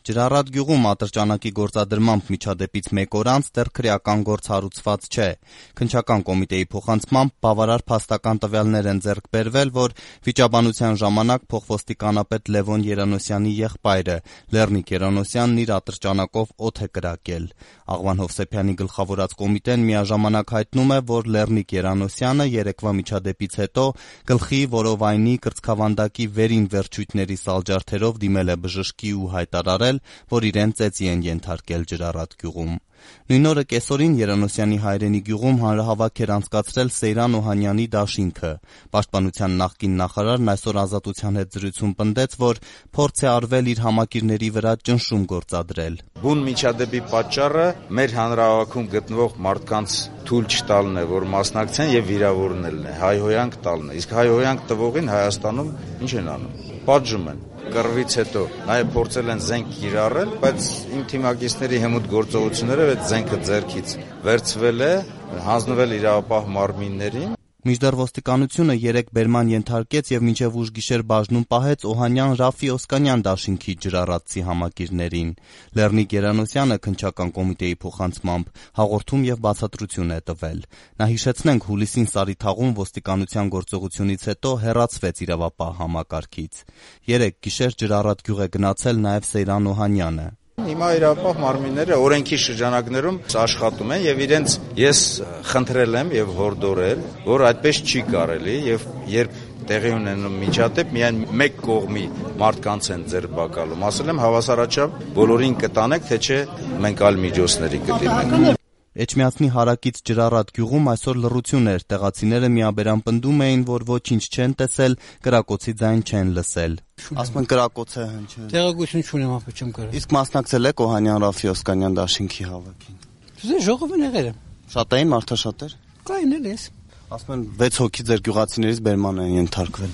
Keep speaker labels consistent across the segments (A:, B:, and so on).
A: Ջրառատ գյուղում ատրճանակի գործադրմամբ միջադեպից մեկ օր անց դեռ քրեական գործ հարուցված չէ։ Քննչական կոմիտեի փոխանցմամբ բավարար փաստական տվյալներ են ձեռք բերվել, որ վիճաբանության ժամանակ փոխոստիկանապետ Լևոն Երանոսյանի եղբայրը Լեռնիկ Երանոսյանն իր ատրճանակով օդ է կրակել։ Աղվան Հովսեփյանի գլխավորած կոմիտեն միաժամանակ հայտնում է, որ Լեռնիկ Երանոսյանը երեկվա միջադեպից հետո գլխի, որովայնի, կրծքավանդակի վերին վերջույթների սալջարդերով դիմել է բժշկի ու հայտարարել, որ իրեն ծեծի են ենթարկել Ջրառատ գյուղում։ Նույն օրը կեսօրին Երանոսյանի հայրենի գյուղում հանրահավաք էր անցկացրել Սեյրան Օհանյանի դաշինքը։ Պաշտպանության նախկին նախարարն այսօր Ազատության հետ զրույցում պնդեց, որ փորձ է արվել իր համակիրների վրա ճնշում գործադրել։
B: Բուն միջադեպի պատճառը մեր հանրահավաքում գտնվող մարդկանց թույլ չտալն է, որ մասնակցեն եւ վիրավորնելն է, հայհոյանք տալն է։ Իսկ հայհոյանք տվողին Հայաստանում ինչ են անում։ Պատժում են։ Կռվից հետո նաև փորձել են զենք կիրառել, բայց իմ թիմակիցների հմուտ գործողություններով այդ զենքը ձեռքից վերցվել է, հանձնվել իրավապահ մարմիններին։
A: Մինչդեռ ոստիկանությունը 3 բերման ենթարկեց եւ մինչեւ ուշ գիշեր բաժնում պահեց Օհանյան Ռաֆի Օսկանյան դաշինքի ջրառատցի համակիրներին։ Լեռնիկ Երանոսյանը քննչական կոմիտեի փոխանցմամբ հաղորդում եւ բացատրություն է տվել։ Նա հիշեցնենք հուլիսին Սարիթաղում ոստիկանության գործողությունից հետո հեռացվեց իրավապահ համակարգից։ 3 գիշեր Ջրառատ գյուղ է գնացել նաեւ Սեյրան Օհանյանը։
B: Հիմա իրավապահ մարմինները օրենքի շրջանակներում աշխատում են եւ իրենց ես խնդրել եմ եւ հորդորել, որ այդպես չի կարելի եւ երբ տեղի ունենում միջադեպ միայն մեկ կողմի մարդկանց են ձերբակալում։ Ասել եմ հավասարաչափ բոլորին կտանեք, թե չէ մենք այլ միջոցների կդիմենք։
A: Էջմիածնի հարակից Ջրառատ գյուղում այսօր լռություն էր, տեղացիները միաբերան պնդում էին, որ ոչինչ չեն տեսել, կրակոցի ձայն չեն լսել։ Ասում են կրակոց է հնչել։
C: Տեղեկություն չունեմ, ապա չեմ կարող։
A: Իսկ մասնակցել եք Օհանյան Ռաֆի Օսկանյան դաշինքի հավաքին։
C: Ժողովն եղել եմ։
A: Շատ էին մարդաշատեր։
C: Կային էլ ես։
A: Ասում են 6 հոգի ձեր գյուղացիներից բերման են ենթարկվել։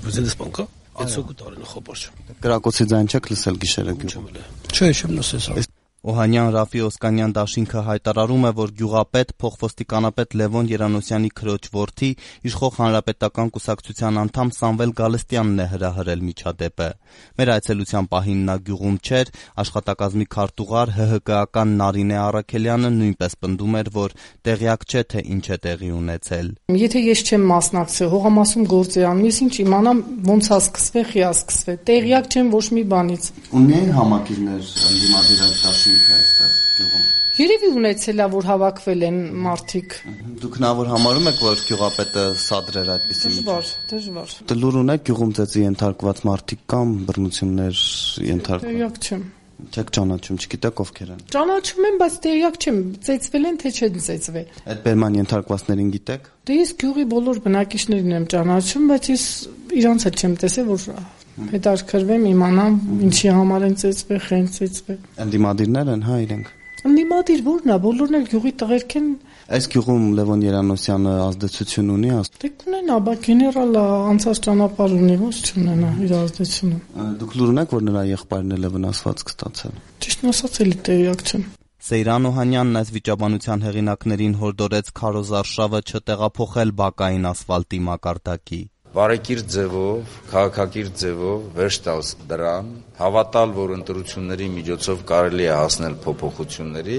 C: Ոզելս բանկա։ 6 հոգի տարին խոպարջ։
A: Կրակոցի ձայն չեք լսել գիշերը գյուղում։
C: Չէ, չեմ լսել։
A: Օհանյան Ռաֆի Օսկանյան դաշինքը հայտարարում է, որ գյուղապետ փոխոստիկանապետ Լևոն Երանոսյանի քրոջ որդի իշխող հանրապետական կուսակցության անդամ Սամվել Գալստյանն է հրահրել միջադեպը։ Մեր այցելության պահին նա գյուղում չէր, աշխատակազմի քարտուղար ՀՀԿ-ական Նարինե Առաքելյանը նույնպես պնդում էր, որ տեղյակ չէ, թե ինչ է տեղի ունեցել։
D: Եթե ես չեմ մասնակցել, հողամասում գործ է անում, ես ինչ իմանամ ոնց է սկսվել, խի է սկսվել։ Տեղյակ չեմ ոչ մի բանից։
A: Ունեն համակիրներ ընդդիմադիր դաշինքը այստեղ գյուղում։
D: Երևի ունեցել է, որ հավաքվել են մարդիկ։
A: Դուք նավոր համարում եք, որ գյուղապետը սադրեր այդպիսի
D: Դժվար։
A: Լուր ունեք գյուղում ծեծի ենթարկված մարդիկ կամ բռնություններ ենթարկված։
D: Տեղյակ չեմ։
A: Չեք ճանաչում, չգիտեք ովքեր են։
D: Ճանաչում եմ, բայց տեղյակ չեմ, ծեծվել են թե չեն ծեծվել։
A: Այդ բերման ենթարկվածներին գիտեք։
D: Դե ես գյուղի բոլոր բնակիչներին եմ ճանաչում, բայց ես իրանց էլ չեմ տեսել, որ հետաքրքրվեմ, իմանամ ինչի համար են ծեծվել, խեն ծեծվել։
A: Ընդդիմադիրներ են, հա, իրենք։
D: Ընդդիմադիր ո՞րն է, բոլորն էլ գյուղի տղերք են։
A: Այս գյուղում Լևոն Երանոսյանը ազդեցություն ունի,
D: Դե կունենա, բա գեներալը անցած ճանապարհ ունի, ո՞ց չունենա իր ազդեցությունը։
A: Դուք լուր ունեք, որ նրա եղբայրն էլ է վնասվածք ստացել։
D: Ճիշտն ասած, էլի տեղյակ չեմ։
A: Սեյրան Օհանյանն այս վիճաբանության հեղինակներին հորդորեց քարոզարշավը չտեղափոխել բակային ասֆալտի մակարդակի։
B: Բարեկիրթ ձևով, քաղաքակիրթ ձևով վերջ տալ դրան, հավատալ, որ ընտրությունների միջոցով կարելի է հասնել փոփոխությունների,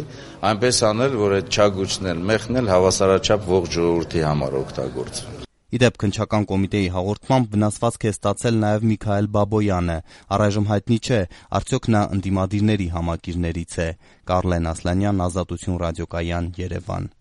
B: այնպես անել, որ այդ չագուճն էլ մեղն էլ հավասարաչափ ողջ ժողովրդի համար օգտագործվի։
A: Իդեպ քննչական կոմիտեի հաղորդմամբ վնասվածք է ստացել նաև Միքայել Բաբոյանը։ Առայժմ հայտնի չէ, արդյոք նա ընդդիմադիրների համակիրներից է։ Կարլեն Ասլանյան, Ազատություն ռադիոկայան, Երևան։